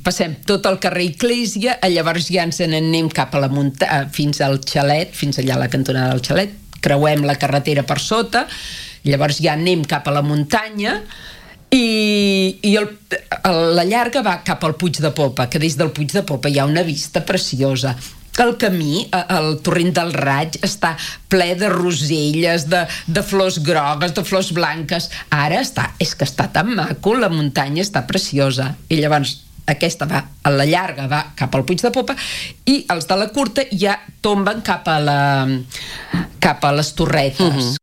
passem tot el carrer Iglésia, llavors ja ens n'anem cap a la muntanya, fins al xalet, fins allà a la cantonada del xalet, creuem la carretera per sota, llavors ja anem cap a la muntanya i la llarga va cap al Puig de Popa, que des del Puig de Popa hi ha una vista preciosa. El camí, el torrent del Raig, està ple de roselles, de flors grogues, de flors blanques. Ara és que està tan maco, la muntanya està preciosa. I llavors aquesta va, a la llarga va cap al Puig de Popa i els de la curta ja tomben cap a les Torretes,